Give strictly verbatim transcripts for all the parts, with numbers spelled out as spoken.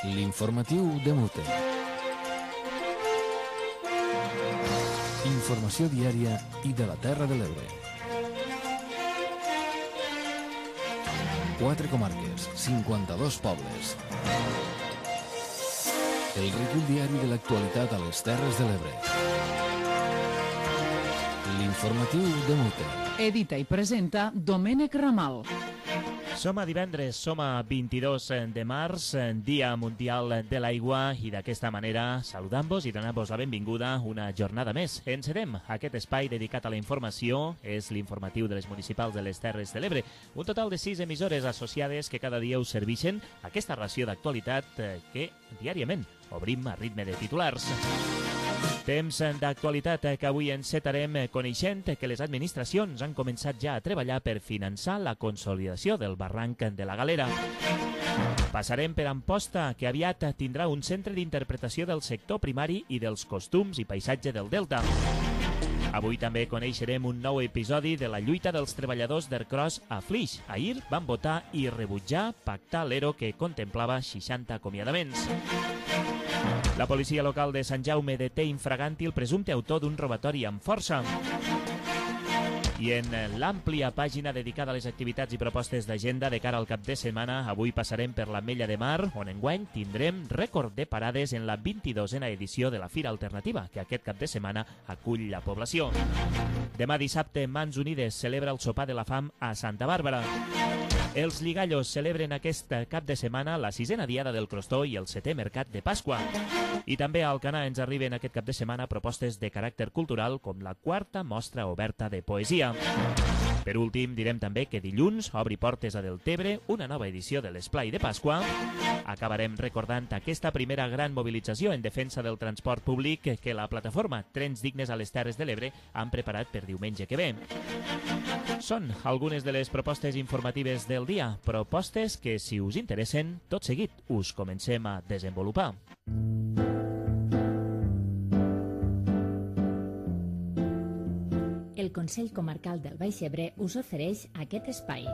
L'informatiu de Mute. Informació diària i de la Terra de l'Ebre. Quatre comarques, cinquanta-dos pobles. El recull diari de l'actualitat a les Terres de l'Ebre. L'informatiu de Mute. Edita i presenta Domènec Ramal. Som a divendres, som a vint-i-dos de març, Dia Mundial de l'Aigua, i d'aquesta manera saludam-vos i donam-vos la benvinguda una jornada més. Encetem aquest espai dedicat a la informació, és l'informatiu de les municipals de les Terres de l'Ebre. Un total de sis emissores associades que cada dia us serveixen aquesta ració d'actualitat que diàriament obrim a ritme de titulars. Temps d'actualitat que avui encetarem coneixent que les administracions han començat ja a treballar per finançar la consolidació del barranc de la Galera. Passarem per Amposta, que aviat tindrà un centre d'interpretació del sector primari i dels costums i paisatge del Delta. Avui també coneixerem un nou episodi de la lluita dels treballadors d'Ercros a Flix. Ahir van votar i rebutjar pactar l'E R O que contemplava seixanta acomiadaments. La policia local de Sant Jaume deté infraganti el presumpte autor d'un robatori amb força. I en l'àmplia pàgina dedicada a les activitats i propostes d'agenda de cara al cap de setmana, avui passarem per l'Ametlla de Mar, on enguany tindrem rècord de parades en la vint-i-dosena edició de la Fira Alternativa, que aquest cap de setmana acull la població. Demà dissabte, Mans Unides celebra el sopar de la fam a Santa Bàrbara. Els Lligallos celebren aquest cap de setmana la sisena diada del Crostó i el setè mercat de Pasqua. I també a Alcanar ens arriben aquest cap de setmana propostes de caràcter cultural com la quarta mostra oberta de poesia. Per últim, direm també que dilluns obri portes a Deltebre una nova edició de l'Esplai de Pasqua. Acabarem recordant aquesta primera gran mobilització en defensa del transport públic que la plataforma Trens Dignes a les Terres de l'Ebre han preparat per diumenge que ve. Són algunes de les propostes informatives del dia, propostes que, si us interessen, tot seguit us comencem a desenvolupar. El Consell Comarcal del Baix Ebre us ofereix aquest espai.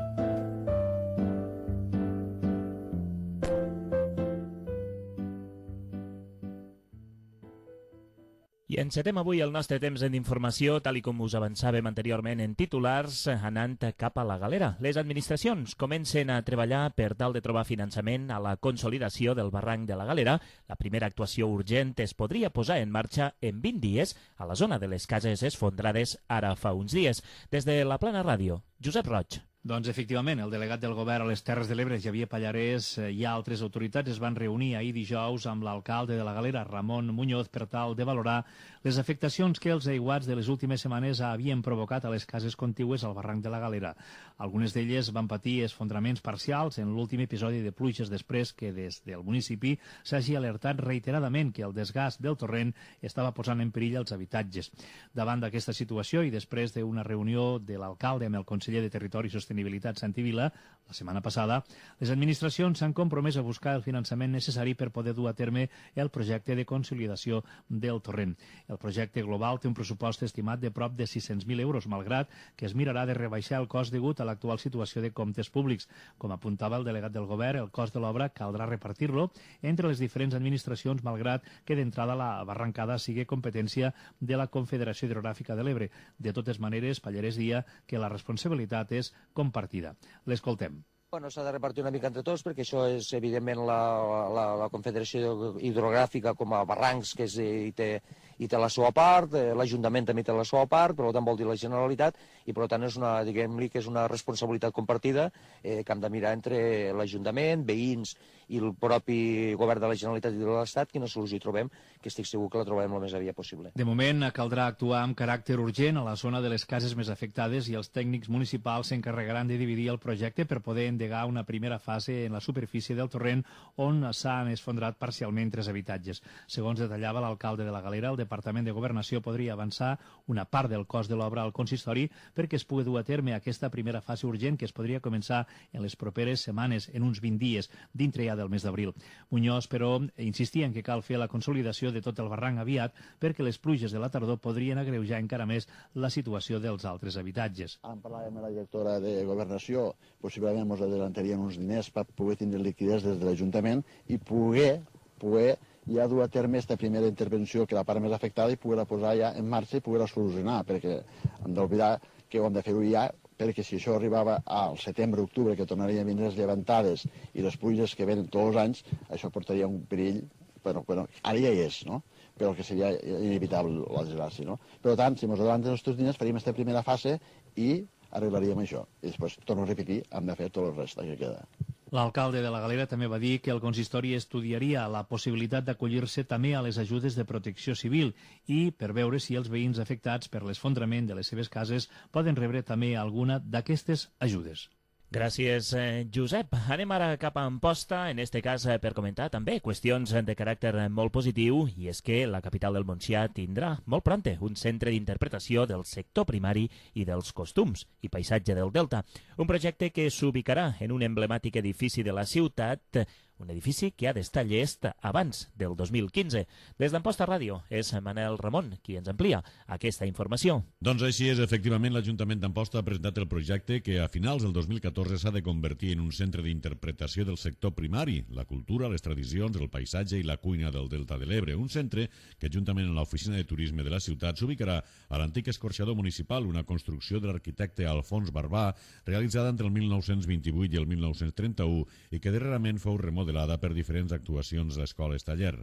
I encetem avui el nostre temps d'informació, tal i com us avançàvem anteriorment en titulars, anant cap a la Galera. Les administracions comencen a treballar per tal de trobar finançament a la consolidació del barranc de la Galera. La primera actuació urgent es podria posar en marxa en vint dies a la zona de les cases esfondrades ara fa uns dies. Des de la Plana Ràdio, Josep Roig. Doncs efectivament, el delegat del govern a les Terres de l'Ebre, Xavier Pallarès, i altres autoritats es van reunir ahir dijous amb l'alcalde de la Galera, Ramon Muñoz, per tal de valorar les afectacions que els aiguats de les últimes setmanes havien provocat a les cases contigües al barranc de la Galera. Algunes d'elles van patir esfondraments parcials en l'últim episodi de pluges després que des del municipi s'hagi alertat reiteradament que el desgast del torrent estava posant en perill els habitatges. Davant d'aquesta situació i després d'una reunió de l'alcalde amb el conseller de Territori i Sostenibilitat Santi Vila, la setmana passada, les administracions s'han compromès a buscar el finançament necessari per poder dur a terme el projecte de consolidació del torrent. El projecte global té un pressupost estimat de prop de sis-cents mil euros, malgrat que es mirarà de rebaixar el cost degut a l'actual situació de comptes públics. Com apuntava el delegat del govern, el cost de l'obra caldrà repartir-lo entre les diferents administracions, malgrat que d'entrada la barrancada sigui competència de la Confederació Hidrogràfica de l'Ebre. De totes maneres, Pallarès dia que la responsabilitat és compartida. L'escoltem. Bueno, s'ha de repartir una mica entre tots, perquè això és, evidentment, la, la, la Confederació Hidrogràfica com a barrancs, que és, i, té, i té la seva part, l'Ajuntament també té la seva part, per tant vol dir la Generalitat, i per tant és una, diguem-li que és una responsabilitat compartida eh, que hem de mirar entre l'Ajuntament, veïns i el propi govern de la Generalitat i de l'Estat, quina solució hi trobem, que estic segur que la trobem el més aviat possible. De moment caldrà actuar amb caràcter urgent a la zona de les cases més afectades i els tècnics municipals s'encarregaran de dividir el projecte per poder endegar una primera fase en la superfície del torrent on s'han esfondrat parcialment tres habitatges. Segons detallava l'alcalde de la Galera, el Departament de Governació podria avançar una part del cost de l'obra al consistori perquè es pugui dur a terme aquesta primera fase urgent que es podria començar en les properes setmanes, en uns vint dies. Dintre ja del mes d'abril. Muñoz, però, insistia en que cal fer la consolidació de tot el barranc aviat perquè les pluges de la tardor podrien agreujar encara més la situació dels altres habitatges. Em parlàvem amb la directora de Governació, possiblement ens adelantarien uns diners per poder tindre liquiditat des de l'Ajuntament i poder, poder ja dur a terme aquesta primera intervenció, que la part més afectada, i poder-la posar ja en marxa i poder-la solucionar, perquè hem d'oblidar que ho hem de fer-ho ja, perquè si això arribava al setembre-octubre, que tornarien a vindre les llevantades i les pluges que venen tots els anys, això portaria un perill, bueno, bueno, ara ja hi és, no?, però que seria inevitable la desgràcia, no? Per tant, si ens adelanten els nostres diners, faríem aquesta primera fase i arreglaríem això. I després, torno a repetir, hem de fer tot el resta que queda. L'alcalde de la Galera també va dir que el consistori estudiaria la possibilitat d'acollir-se també a les ajudes de protecció civil i per veure si els veïns afectats per l'esfondrament de les seves cases poden rebre també alguna d'aquestes ajudes. Gràcies, Josep. Anem ara cap a Amposta, en este cas per comentar també qüestions de caràcter molt positiu, i és que la capital del Montsià tindrà molt pronte un centre d'interpretació del sector primari i dels costums i paisatge del Delta, un projecte que s'ubicarà en un emblemàtic edifici de la ciutat, un edifici que ha d'estar llest abans del dos mil quinze. Des d'Amposta Ràdio és Manel Ramon qui ens amplia aquesta informació. Doncs així és, efectivament, l'Ajuntament d'Amposta ha presentat el projecte que a finals del dos mil catorze s'ha de convertir en un centre d'interpretació del sector primari, la cultura, les tradicions, el paisatge i la cuina del Delta de l'Ebre. Un centre que, juntament amb l'Oficina de Turisme de la ciutat, s'ubicarà a l'antic escorxador municipal, una construcció de l'arquitecte Alfons Barbà, realitzada entre el mil nou-cents vint-i-vuit i el mil nou-cents trenta-u i que darrerament fou remodelada per diferents actuacions d'escoles taller.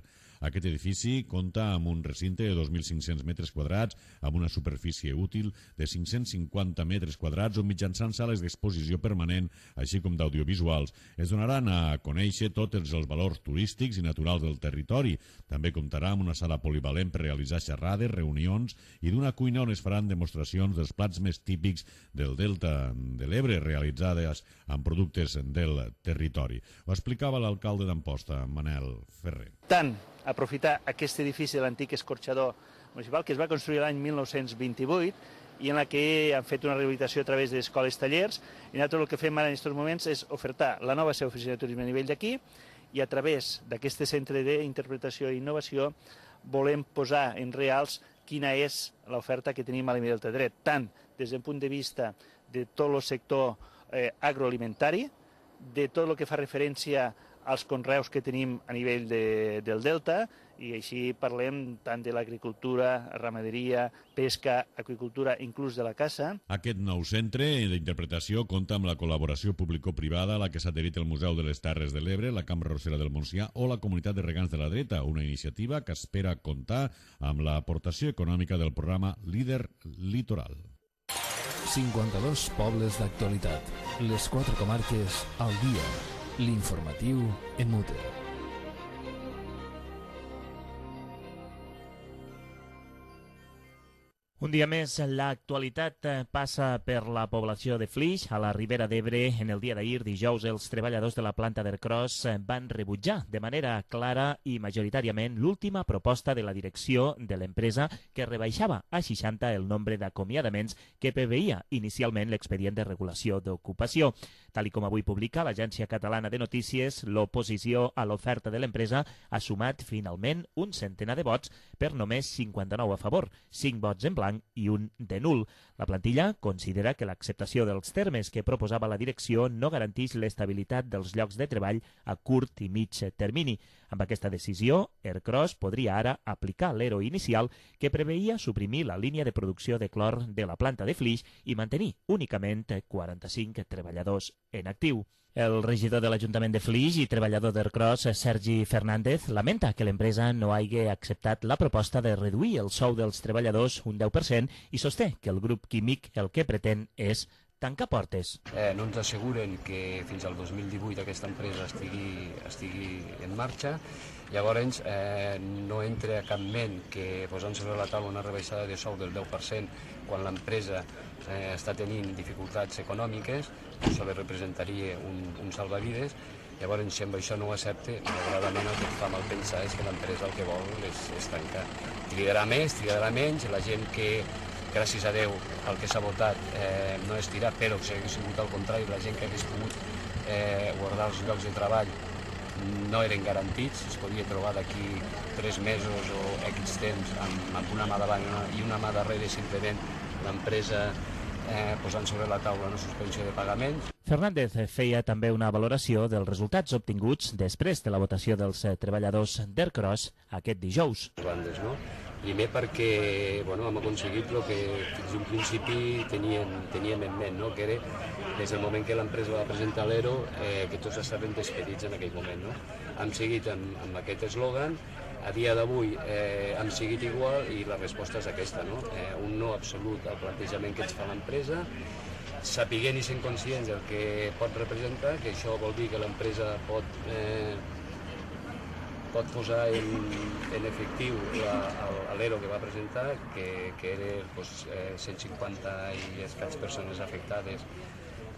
Aquest edifici compta amb un recinte de dos mil cinc-cents metres quadrats, amb una superfície útil de cinc-cents cinquanta metres quadrats, on mitjançant sales d'exposició permanent, així com d'audiovisuals, es donaran a conèixer tots els valors turístics i naturals del territori. També comptarà amb una sala polivalent per realitzar xerrades, reunions i d'una cuina on es faran demostracions dels plats més típics del Delta de l'Ebre, realitzades amb productes del territori. Ho explicava l'alcalde d'Amposta, Manel Ferrer. Tant aprofitar aquest edifici de l'antic escorxador municipal que es va construir l'any mil nou-cents vint-i-vuit i en la que han fet una rehabilitació a través d'escoles tallers, i nosaltres el que fem ara en aquests moments és ofertar la nova seva oficina de turisme a nivell d'aquí, i a través d'aquest centre d'interpretació i innovació volem posar en reals quina és l'oferta que tenim a l'Ebre Delta Dret, tant des del punt de vista de tot el sector eh, agroalimentari, de tot el que fa referència als conreus que tenim a nivell de, del Delta, i així parlem tant de l'agricultura, ramaderia, pesca, aqüicultura, inclús de la caça. Aquest nou centre d'interpretació compta amb la col·laboració público-privada a la que s'ha adherit el Museu de les Terres de l'Ebre, la Cambra Arrossera del Montsià o la Comunitat de Regants de la Dreta, una iniciativa que espera comptar amb l'aportació econòmica del programa Líder Litoral. cinquanta-dos pobles d'actualitat. Les quatre comarques al dia. L'informatiu en Mute. Un dia més, l'actualitat passa per la població de Flix, a la Ribera d'Ebre. En el dia d'ahir, dijous, els treballadors de la planta d'Ercros van rebutjar de manera clara i majoritàriament l'última proposta de la direcció de l'empresa que rebaixava a seixanta el nombre d'acomiadaments que preveia inicialment l'expedient de regulació d'ocupació. Tal com avui publica l'Agència Catalana de Notícies, l'oposició a l'oferta de l'empresa ha sumat finalment un centenar de vots per només cinquanta-nou a favor, cinc vots en blanc i un de nul. La plantilla considera que l'acceptació dels termes que proposava la direcció no garanteix l'estabilitat dels llocs de treball a curt i mig termini. Amb aquesta decisió, Ercros podria ara aplicar l'E R O inicial que preveia suprimir la línia de producció de clor de la planta de Flix i mantenir únicament quaranta-cinc treballadors en actiu. El regidor de l'Ajuntament de Flix i treballador d'Ercros, Sergi Fernández, lamenta que l'empresa no hagi acceptat la proposta de reduir el sou dels treballadors un deu per cent i sosté que el grup químic el que pretén és tancar portes. Eh, no ens asseguren que fins al dos mil divuit aquesta empresa estigui, estigui en marxa. Llavors, eh, no entra a cap ment que posant sobre la taula una rebaixada de sou del deu per cent quan l'empresa eh, està tenint dificultats econòmiques, això li representaria un, un salvavides. Llavors, si amb això no ho accepta, malauradament el que fa mal pensar és que l'empresa el que vol és, és tancar. Trigarà més, trigarà menys, la gent que, gràcies a Déu, el que s'ha votat eh, no és tirar, però si hagués sigut al contrari, la gent que hagués pogut eh, guardar els llocs de treball no eren garantits, es podia trobar d'aquí tres mesos o X temps amb, amb una mà davant i una mà darrere, simplement l'empresa eh, posant sobre la taula una suspensió de pagaments. Fernández feia també una valoració dels resultats obtinguts després de la votació dels treballadors d'Ercros aquest dijous. Bandes, no? Primer perquè bueno, hem aconseguit el que fins d'un principi teníem, teníem en ment, no? Que era des del moment que l'empresa va presentar l'E R O eh, que tots estaven despedits en aquell moment. No? Hem seguit amb, amb aquest eslògan, a dia d'avui eh, hem seguit igual i la resposta és aquesta, no? Eh, un no absolut al plantejament que ens fa l'empresa, sapiguent i sent conscients del que pot representar, que això vol dir que l'empresa pot, eh, pot posar en, en efectiu l'E R O que va presentar, que, que era doncs, eh, cent cinquanta i escaig persones afectades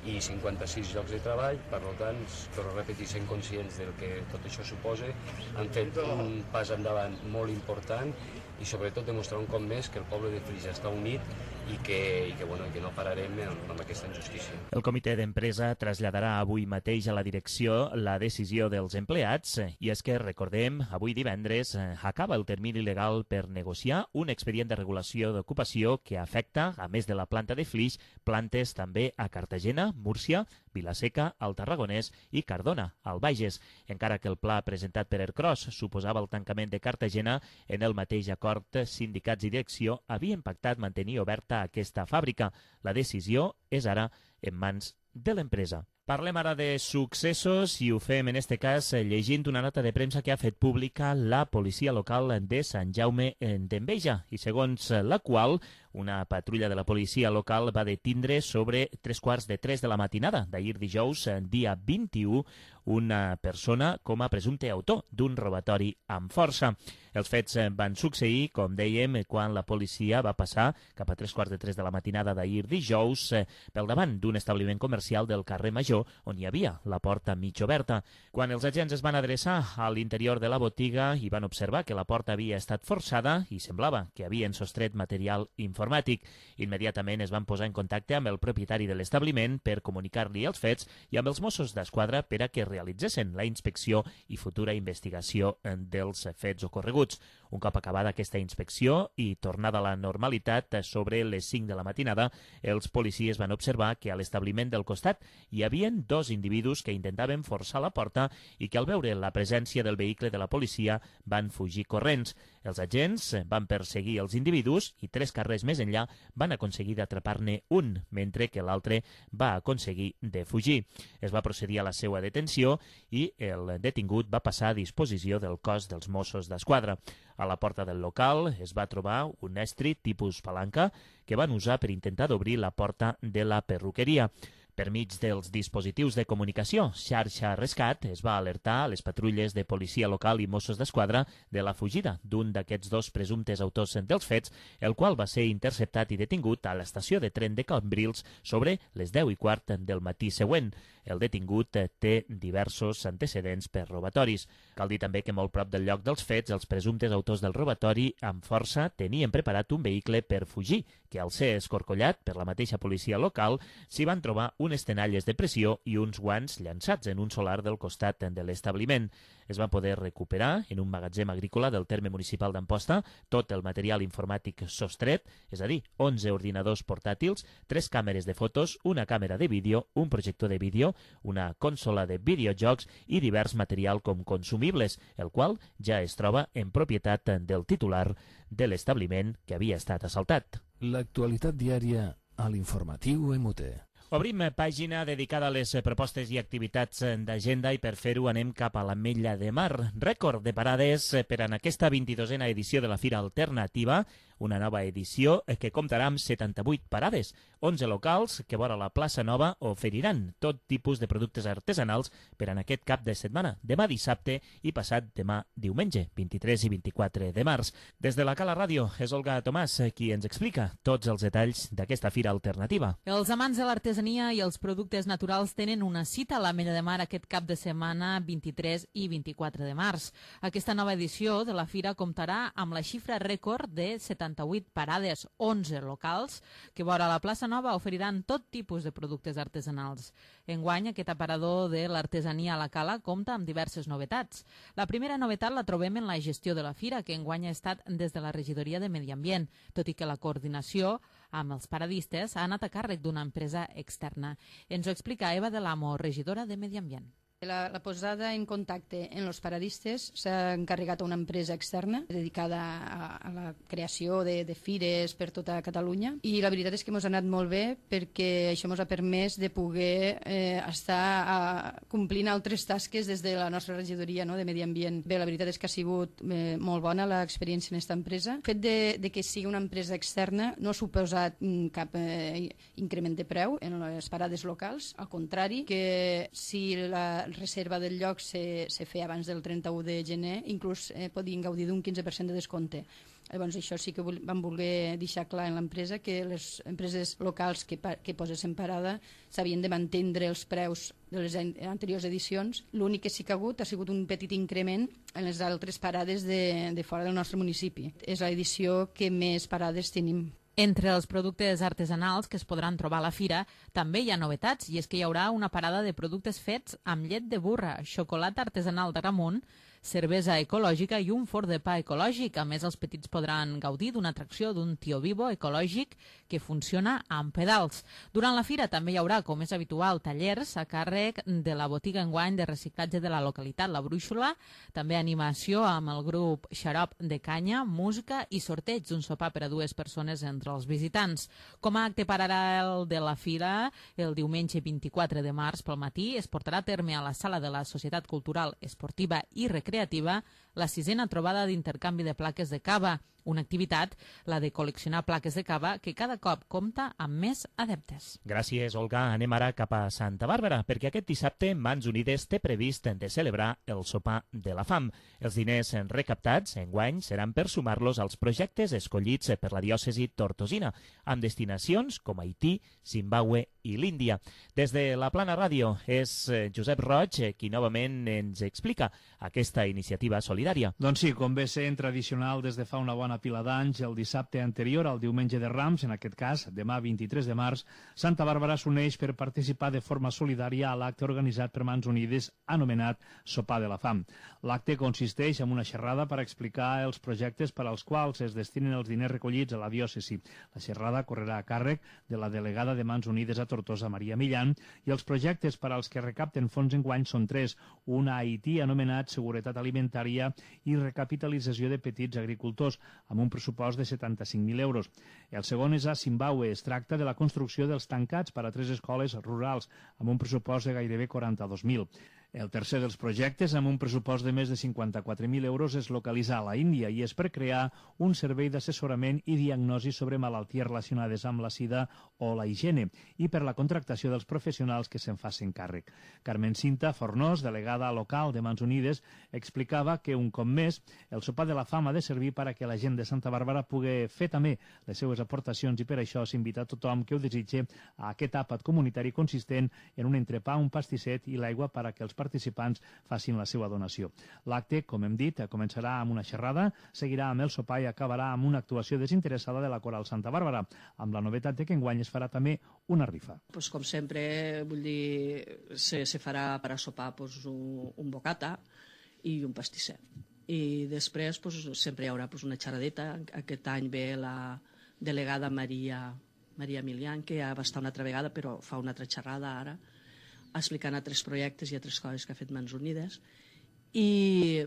i cinquanta-sis llocs de treball. Per tant, però repetir, sent conscients del que tot això suposa, han fet un pas endavant molt important i sobretot demostrar un cop més que el poble de Flix està unit i que, i que, bueno, que no pararem amb, amb aquesta injustícia. El comitè d'empresa traslladarà avui mateix a la direcció la decisió dels empleats i és que, recordem, avui divendres acaba el termini legal per negociar un expedient de regulació d'ocupació que afecta, a més de la planta de Flix, plantes també a Cartagena, Múrcia, Vilaseca, al Tarragonès i Cardona, al Bages. Encara que el pla presentat per Ercros suposava el tancament de Cartagena, en el mateix acord sindicats i direcció havien pactat mantenir oberta aquesta fàbrica. La decisió és ara en mans de l'empresa. Parlem ara de successos i ho fem en este cas llegint una nota de premsa que ha fet pública la policia local de Sant Jaume d'Enveja i segons la qual una patrulla de la policia local va detindre sobre tres quarts de tres de la matinada d'ahir dijous, dia vint-i-u, una persona com a presumpte autor d'un robatori amb força. Els fets van succeir, com dèiem, quan la policia va passar cap a tres quarts de tres de la matinada d'ahir dijous pel davant d'un establiment comercial del carrer Major on hi havia la porta mig oberta. Quan els agents es van adreçar a l'interior de la botiga i van observar que la porta havia estat forçada i semblava que havien sostret material informàtic, immediatament es van posar en contacte amb el propietari de l'establiment per comunicar-li els fets i amb els Mossos d'Esquadra per a que realitzessin la inspecció i futura investigació dels fets ocorreguts. Un cop acabada aquesta inspecció i tornada a la normalitat sobre les cinc de la matinada, els policies van observar que a l'establiment del costat hi havia dos individus que intentaven forçar la porta i que al veure la presència del vehicle de la policia van fugir corrents. Els agents van perseguir els individus i tres carrers més enllà van aconseguir d'atrapar-ne un, mentre que l'altre va aconseguir de fugir. Es va procedir a la seva detenció i el detingut va passar a disposició del cos dels Mossos d'Esquadra. A la porta del local es va trobar un estri tipus palanca que van usar per intentar d'obrir la porta de la perruqueria. Per mig dels dispositius de comunicació, xarxa rescat es va alertar a les patrulles de policia local i Mossos d'Esquadra de la fugida d'un d'aquests dos presumptes autors dels fets, el qual va ser interceptat i detingut a l'estació de tren de Cambrils sobre les deu i quart del matí següent. El detingut té diversos antecedents per robatoris. Cal dir també que molt prop del lloc dels fets, els presumptes autors del robatori amb força tenien preparat un vehicle per fugir, que al ser escorcollat per la mateixa policia local s'hi van trobar unes tenalles de pressió i uns guants llançats en un solar del costat de l'establiment. Es va poder recuperar en un magatzem agrícola del terme municipal d'Amposta tot el material informàtic sostret, és a dir, onze ordinadors portàtils, tres càmeres de fotos, una càmera de vídeo, un projector de vídeo, una consola de videojocs i divers material com consumibles, el qual ja es troba en propietat del titular de l'establiment que havia estat assaltat. L'actualitat diària a l'informatiu M U T. Obrim pàgina dedicada a les propostes i activitats d'agenda i per fer-ho anem cap a l'Ametlla de Mar. Rècord de parades per en aquesta vint-i-dosena edició de la Fira Alternativa, una nova edició que comptarà amb setanta-vuit parades. onze locals que vora la plaça Nova oferiran tot tipus de productes artesanals per en aquest cap de setmana, demà dissabte i passat demà diumenge, vint-i-tres i vint-i-quatre de març. Des de la Cala Ràdio és Olga Tomàs qui ens explica tots els detalls d'aquesta Fira Alternativa. Els amants de l'artesania i els productes naturals tenen una cita a l'Ametlla de Mar aquest cap de setmana vint-i-tres i vint-i-quatre de març. Aquesta nova edició de la Fira comptarà amb la xifra rècord de setanta setanta-vuit parades, onze locals, que vora la plaça Nova oferiran tot tipus de productes artesanals. Enguany, aquest aparador de l'artesania a la Cala compta amb diverses novetats. La primera novetat la trobem en la gestió de la fira, que enguany ha estat des de la regidoria de Medi Ambient, tot i que la coordinació amb els paradistes ha anat a càrrec d'una empresa externa. Ens ho explica Eva de l'Amo, regidora de Medi Ambient. La, la posada en contacte en els paradistes s'ha encarregat a una empresa externa dedicada a, a la creació de, de fires per tota Catalunya, i la veritat és que ens ha anat molt bé perquè això ens ha permès de poder eh, estar a, complint altres tasques des de la nostra regidoria, no?, de Medi Ambient. Bé, la veritat és que ha sigut eh, molt bona l'experiència en aquesta empresa. El fet de, de que sigui una empresa externa no ha suposat mm, cap eh, increment de preu en les parades locals, al contrari, que si la reserva del lloc se, se feia abans del trenta-u de gener, inclús eh, podien gaudir d'un quinze per cent de descompte. Llavors, això sí que vam voler deixar clar en l'empresa, que les empreses locals que, que posessin parada s'havien de mantenir els preus de les anteriors edicions. L'únic que sí que ha hagut ha sigut un petit increment en les altres parades de, de fora del nostre municipi. És l'edició que més parades tenim. Entre els productes artesanals que es podran trobar a la fira també hi ha novetats, i és que hi haurà una parada de productes fets amb llet de burra, xocolata artesanal d'Agramunt, cervesa ecològica i un forn de pa ecològic. A més, els petits podran gaudir d'una atracció d'un tio vivo ecològic que funciona amb pedals. Durant la fira també hi haurà, com és habitual, tallers a càrrec de la botiga enguany de reciclatge de la localitat, la Brúixola, també animació amb el grup Xarop de Canya, música i sorteig d'un sopar per a dues persones entre els visitants. Com a acte paral·lel de la fira, el diumenge vint-i-quatre de març pel matí es portarà a terme a la sala de la Societat Cultural, Esportiva i Recreativa la sisena trobada d'intercanvi de plaques de cava, una activitat, la de col·leccionar plaques de cava, que cada cop compta amb més adeptes. Gràcies, Olga. Anem ara cap a Santa Bàrbara, perquè aquest dissabte Mans Unides té previst de celebrar el sopar de la fam. Els diners recaptats enguany seran per sumar-los als projectes escollits per la diòcesi tortosina, amb destinacions com Haití, Zimbabue i l'Índia. Des de la Plana Ràdio és Josep Roig qui novament ens explica aquesta iniciativa solidària. Doncs sí, com ve sent tradicional des de fa una bona pila d'anys, el dissabte anterior al diumenge de Rams, en aquest cas, demà vint-i-tres de març, Santa Bàrbara s'uneix per participar de forma solidària a l'acte organitzat per Mans Unides anomenat Sopar de la Fam. L'acte consisteix en una xerrada per explicar els projectes per als quals es destinen els diners recollits a la diòcesi. La xerrada correrà a càrrec de la delegada de Mans Unides a Tortosa, Maria Millan, i els projectes per als que recapten fons enguany són tres: un a Haití anomenat Seguretat Alimentària i Recapitalització de Petits Agricultors, amb un pressupost de setanta-cinc mil euros. El segon és a Zimbabue. Es tracta de la construcció dels tancats per a tres escoles rurals, amb un pressupost de gairebé quaranta-dos mil. El tercer dels projectes, amb un pressupost de més de cinquanta-quatre mil euros, es localitza a la Índia i és per crear un servei d'assessorament i diagnosi sobre malalties relacionades amb la sida o la higiene i per la contractació dels professionals que se'n facin càrrec. Carmen Cinta Fornós, delegada local de Mans Unides, explicava que un cop més el sopar de la fam ha de servir per a que la gent de Santa Bàrbara pugui fer també les seues aportacions, i per això s'invita a tothom que ho desitge a aquest àpat comunitari consistent en un entrepà, un pastisset i l'aigua per a que els participants facin la seva donació. L'acte, com hem dit, començarà amb una xerrada, seguirà amb el sopar i acabarà amb una actuació desinteressada de la Coral Santa Bàrbara, amb la novetat de que enguany es farà també una rifa. Pues, com sempre, vull dir, se, se farà per a sopar pues, un, un bocata i un pastisset. I després pues, sempre hi haurà pues, una xerradeta. Aquest any ve la delegada Maria, Maria Milian, que ja va estar una altra vegada, però fa una altra xerrada ara, explicant altres projectes i altres coses que ha fet Mans Unides. I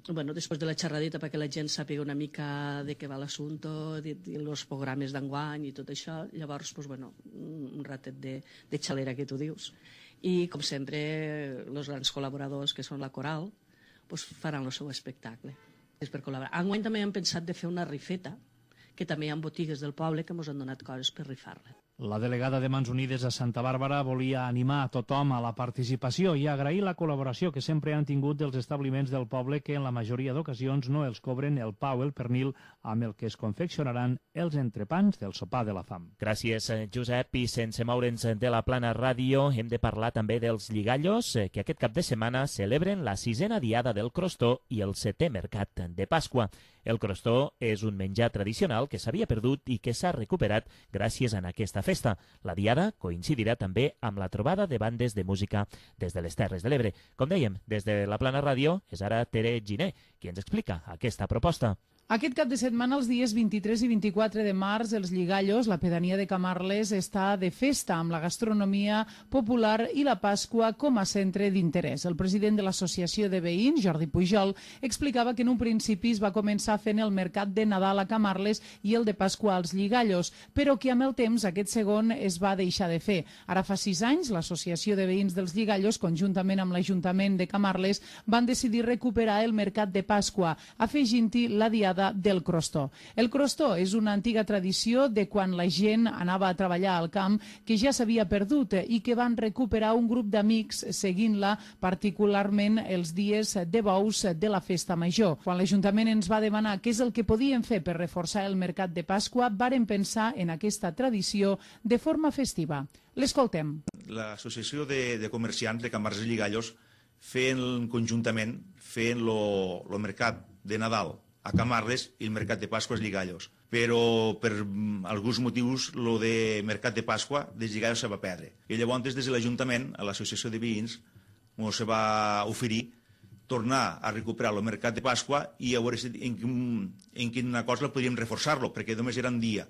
bueno, després de la xerradeta, perquè la gent sàpiga una mica de què va l'assumpte, els programes d'enguany i tot això, llavors pues, bueno, un ratet de, de xalera, que tu dius. I, com sempre, els grans col·laboradors, que són la Coral, pues, faran el seu espectacle. És per col·laborar. Enguany també hem pensat de fer una rifeta, que també hi ha botigues del poble que ens han donat coses per rifar-la. La delegada de Mans Unides a Santa Bàrbara volia animar a tothom a la participació i agrair la col·laboració que sempre han tingut dels establiments del poble que en la majoria d'ocasions no els cobren el pa o el pernil amb el que es confeccionaran els entrepans del sopar de la fam. Gràcies, Josep. I sense moure'ns de la Plana Ràdio, hem de parlar també dels lligallos que aquest cap de setmana celebren la sisena diada del crostó i el setè mercat de Pasqua. El crostó és un menjar tradicional que s'havia perdut i que s'ha recuperat gràcies a aquesta festa. La diada coincidirà també amb la trobada de bandes de música des de les Terres de l'Ebre. Com dèiem, des de la Plana Ràdio és ara Tere Giner qui ens explica aquesta proposta. Aquest cap de setmana, els dies vint-i-tres i vint-i-quatre de març, els Lligallos, la pedania de Camarles, està de festa amb la gastronomia popular i la Pasqua com a centre d'interès. El president de l'Associació de Veïns, Jordi Pujol, explicava que en un principi es va començar fent el mercat de Nadal a Camarles i el de Pasqua als Lligallos, però que amb el temps aquest segon es va deixar de fer. Ara fa sis anys, l'Associació de Veïns dels Lligallos, conjuntament amb l'Ajuntament de Camarles, van decidir recuperar el mercat de Pasqua, afegint-hi la diada del crostó. El crostó és una antiga tradició de quan la gent anava a treballar al camp que ja s'havia perdut i que van recuperar un grup d'amics seguint-la particularment els dies de bous de la festa major. Quan l'Ajuntament ens va demanar què és el que podíem fer per reforçar el mercat de Pasqua, varen pensar en aquesta tradició de forma festiva. L'escoltem. L'Associació de, de Comerciants de Camarles i Lligallos fent conjuntament fent el mercat de Nadal a Camarles i el mercat de Pasqua als Lligallos. Però per alguns motius el de mercat de Pasqua dels Lligallos se va perdre. I llavors des de l'Ajuntament, a l'Associació de Veïns, ens se va oferir tornar a recuperar el mercat de Pasqua i a veure en, en quina cosa podríem reforçar-lo, perquè només era un dia.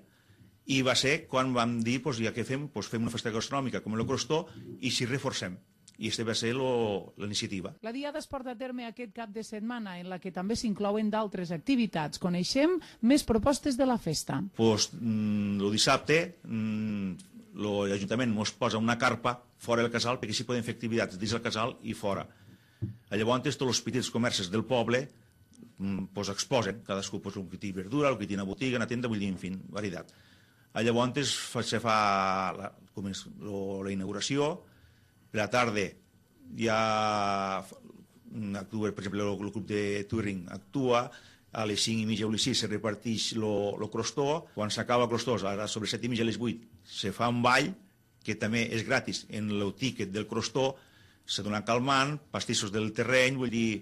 I va ser quan vam dir, pues, ja que fem, pues, fem una festa gastronòmica com el crostó i si reforcem. I aquesta va ser la iniciativa. La diada es porta a terme aquest cap de setmana, en la que també s'inclouen d'altres activitats. Coneixem més propostes de la festa. Pues, el dissabte l'Ajuntament ens posa una carpa fora del casal perquè així podem fer activitats dins del casal i fora. Llavors, tots els petits comerços del poble pues, exposen, cadascú pues, el que té verdura, el que té una botiga, una tenda, vull dir, en fi, varietat. Llavors se fa la, la inauguració. Per la tarda ja actua, per exemple, el grup de Touring actua, a les cinc i mitja o les sis se reparteix el crostó, quan s'acaba el crostó, ara sobre set i mitja a les vuit, se fa un ball, que també és gratis, en el tíquet del crostó, se dona calmant, pastissos del terreny, vull dir,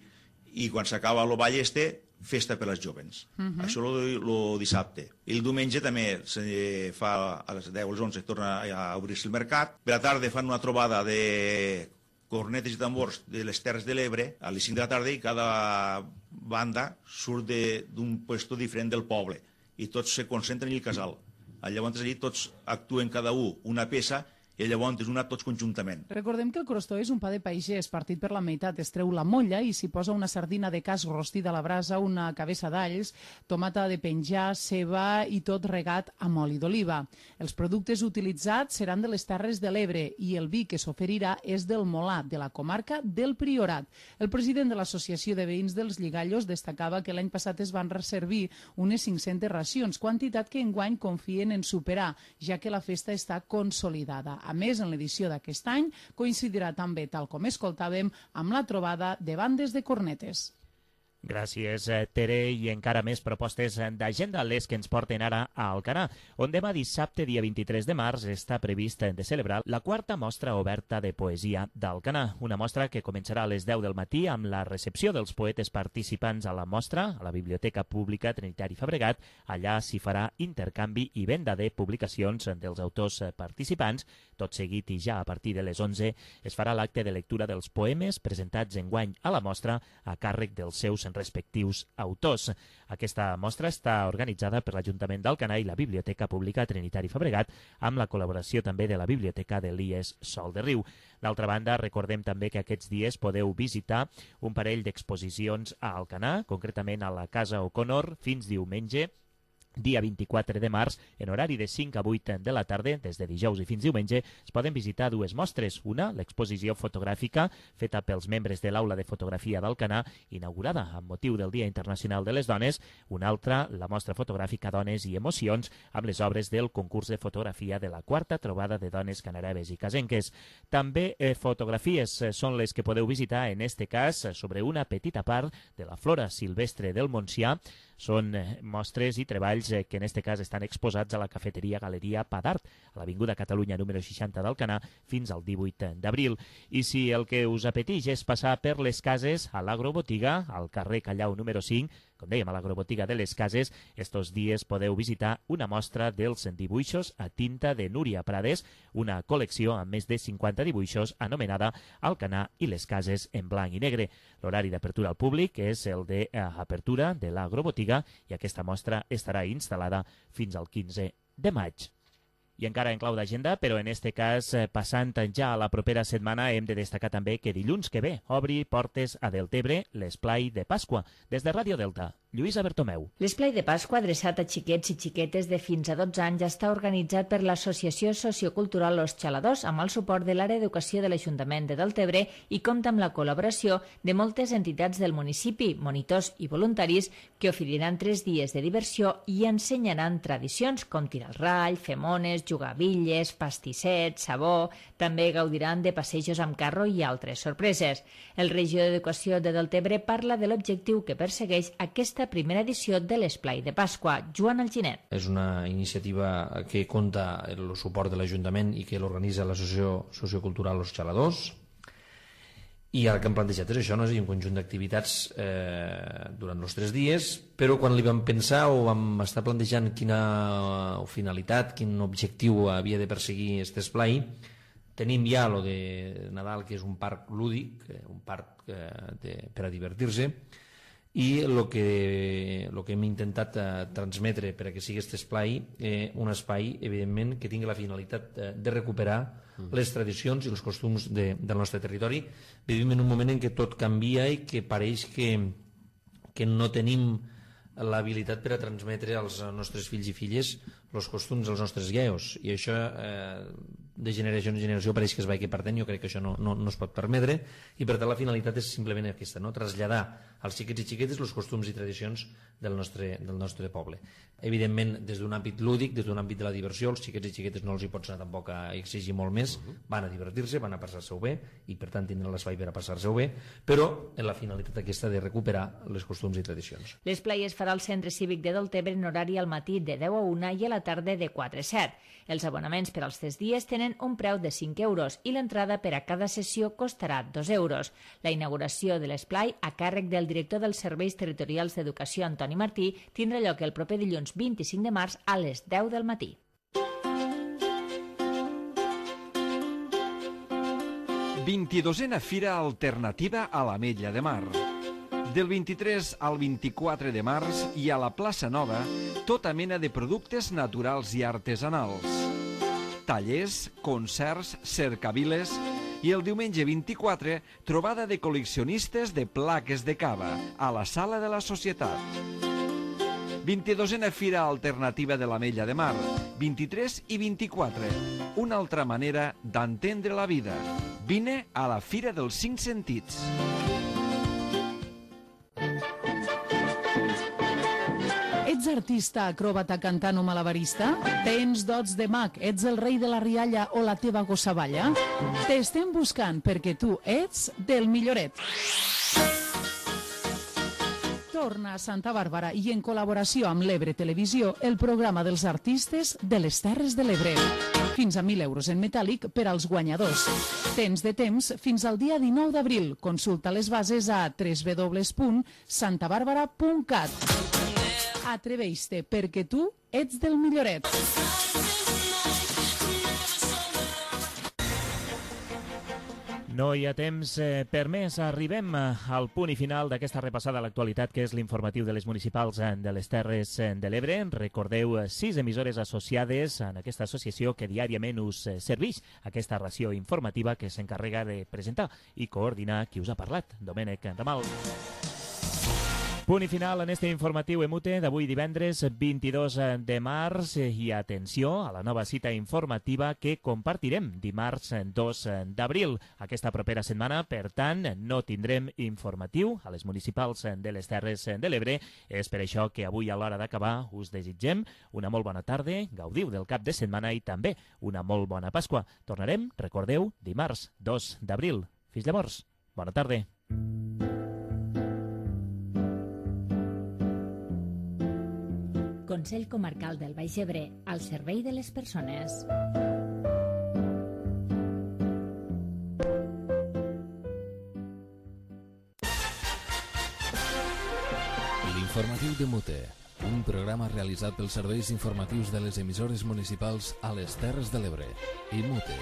i quan s'acaba el ball este, festa per als jovens. Uh-huh. Això el dissabte. I el diumenge també se fa a les deu o les onze torna a obrir-se el mercat. Per la tarda fan una trobada de cornetes i tambors de les Terres de l'Ebre a les cinc de la tarda i cada banda surt d'un puesto diferent del poble i tots se concentren en el casal. Llavors allí tots actuen cada un una peça i llavors és una tots conjuntament. Recordem que el crostó és un pa de pagès partit per la meitat, es treu la molla i s'hi posa una sardina de cas rostida a la brasa, una cabeça d'alls, tomata de penjar, ceba i tot regat amb oli d'oliva. Els productes utilitzats seran de les Terres de l'Ebre i el vi que s'oferirà és del Molar, de la comarca del Priorat. El president de l'Associació de Veïns dels Lligallos destacava que l'any passat es van reservar unes cinc-centes racions, quantitat que enguany confien en superar, ja que la festa està consolidada. A més, en l'edició d'aquest any coincidirà també, tal com escoltàvem, amb la trobada de bandes de cornetes. Gràcies, Tere, i encara més propostes d'agenda, les que ens porten ara a Alcanar, on demà dissabte, dia vint-i-tres de març, està previst de celebrar la quarta mostra oberta de poesia d'Alcanar, una mostra que començarà a les deu del matí amb la recepció dels poetes participants a la mostra, a la Biblioteca Pública Trinitari Fabregat. Allà s'hi farà intercanvi i venda de publicacions dels autors participants. Tot seguit i ja a partir de les onze es farà l'acte de lectura dels poemes presentats enguany a la mostra a càrrec dels seus respectius autors. Aquesta mostra està organitzada per l'Ajuntament d'Alcanar i la Biblioteca Pública Trinitari Fabregat, amb la col·laboració també de la Biblioteca de l'I E S Sol de Riu. D'altra banda, recordem també que aquests dies podeu visitar un parell d'exposicions a Alcanar, concretament a la Casa O'Connor, fins diumenge, dia vint-i-quatre de març, en horari de cinc a vuit de la tarda, des de dijous i fins diumenge, es poden visitar dues mostres. Una, l'exposició fotogràfica feta pels membres de l'Aula de Fotografia d'Alcanar, inaugurada amb motiu del Dia Internacional de les Dones. Una altra, la mostra fotogràfica Dones i Emocions, amb les obres del concurs de fotografia de la quarta trobada de dones canareves i casenques. També eh, fotografies eh, són les que podeu visitar, en este cas, sobre una petita part de la flora silvestre del Montsià. Són eh, mostres i treballs eh, que en este cas estan exposats a la cafeteria Galeria Padart, a l'Avinguda Catalunya número seixanta d'Alcanar, fins al divuit d'abril. I si el que us apeteix és passar per les cases, a l'Agrobotiga, al carrer Callau número cinc, com dèiem, a l'Agrobotiga de les Cases, estos dies podeu visitar una mostra dels dibuixos a tinta de Núria Prades, una col·lecció amb més de cinquanta dibuixos anomenada Alcanar i les Cases en blanc i negre. L'horari d'apertura al públic és el d'apertura de l'Agrobotiga i aquesta mostra estarà instal·lada fins al quinze de maig. I encara en clau d'agenda, però en este cas, passant ja a la propera setmana, hem de destacar també que dilluns que ve obri portes a Deltebre l'esplai de Pasqua. Des de Ràdio Delta, Lluïsa Bertomeu. L'esplai de Pasqua, adreçat a xiquets i xiquetes de fins a dotze anys, està organitzat per l'Associació Sociocultural Los Xaladors, amb el suport de l'Àrea d'Educació de l'Ajuntament de Deltebre i compta amb la col·laboració de moltes entitats del municipi, monitors i voluntaris, que oferiran tres dies de diversió i ensenyaran tradicions com tirar el rall, fer mones, jugar a bitlles, pastissets, sabó. També gaudiran de passejos amb carro i altres sorpreses. El regidor d'Educació de Deltebre parla de l'objectiu que persegueix aquesta primera edició de l'esplai de Pasqua. Joan Alginet. És una iniciativa que compta el suport de l'Ajuntament i que l'organitza l'Associació Sociocultural Los Xaladors. I el que hem plantejat és això, no? És a dir, un conjunt d'activitats eh, durant els tres dies, però quan li vam pensar o vam estar plantejant quina finalitat, quin objectiu havia de perseguir aquest esplai, tenim ja lo de Nadal, que és un parc lúdic, un parc eh, de, per a divertir-se, i el que, lo que hem intentat eh, transmetre per a que sigui aquest esplai, eh, un espai, evidentment, que tingui la finalitat eh, de recuperar mm. les tradicions i els costums de, del nostre territori. Vivim en un moment en què tot canvia i que pareix que, que no tenim l'habilitat per a transmetre als nostres fills i filles els costums dels nostres guios, i això eh, de generació en generació pareix que es vagi perdent. Jo crec que això no, no, no es pot permetre, i per tant la finalitat és simplement aquesta, no? Traslladar als xiquets i xiquetes els costums i tradicions del nostre, del nostre poble. Evidentment, des d'un àmbit lúdic, des d'un àmbit de la diversió, els xiquets i xiquetes no els hi pots anar tampoc a exigir molt més, van a divertir-se, van a passar-se-ho bé, i per tant tindran l'espai per a passar-se-ho bé, però en la finalitat aquesta de recuperar les costums i tradicions. L'esplai es farà al Centre Cívic de Deltebre en horari al matí de deu a una i a la tarda de quatre a set. Els abonaments per als tres dies tenen un preu de cinc euros i l'entrada per a cada sessió costarà dos euros. La inauguració de l'esplai, a càrrec del director dels Serveis Territorials d'Educació, Antoni Martí, tindrà lloc el proper dilluns vint-i-cinc de març a les deu del matí. vint-i-dosena Fira Alternativa a l'Ametlla de Mar. Del vint-i-tres al vint-i-quatre de març hi ha a la Plaça Nova tota mena de productes naturals i artesanals. Tallers, concerts, cercaviles i el diumenge vint-i-quatre trobada de col·leccionistes de plaques de cava a la Sala de la Societat. vint-i-dosena Fira Alternativa de l'Ametlla de Mar, vint-i-tres i vint-i-quatre. Una altra manera d'entendre la vida. Vine a la Fira dels Cinc Sentits. Ets artista, acròbata, cantant o malabarista? Tens dots de mag, ets el rei de la rialla o la teva gossavalla? T'estem buscant perquè tu ets del milloret. Torna a Santa Bàrbara i en col·laboració amb l'Ebre Televisió el programa dels artistes de les Terres de l'Ebre. Fins a mil euros en metàl·lic per als guanyadors. Tens de temps fins al dia dinou d'abril. Consulta les bases a w w w punt santa bàrbara punt cat. Atreveix-te, perquè tu ets del milloret. No hi ha temps eh, per més. Arribem al punt i final d'aquesta repassada a l'actualitat, que és l'informatiu de les municipals de les Terres de l'Ebre. Recordeu, sis emissores associades en aquesta associació que diàriament us serveix aquesta ració informativa que s'encarrega de presentar i coordinar qui us ha parlat, Domènec Ramal. Punt i final en este informatiu Emute d'avui divendres vint-i-dos de març i atenció a la nova cita informativa que compartirem dimarts dos d'abril. Aquesta propera setmana, per tant, no tindrem informatiu a les municipals de les Terres de l'Ebre. És per això que avui a l'hora d'acabar us desitgem una molt bona tarda, gaudiu del cap de setmana i també una molt bona Pasqua. Tornarem, recordeu, dimarts dos d'abril. Fins llavors, bona tarda. Consell Comarcal del Baix Ebre, al servei de les persones. L'informatiu de Mute, un programa realitzat pels serveis informatius de les emissores municipals a les Terres de l'Ebre i Mute.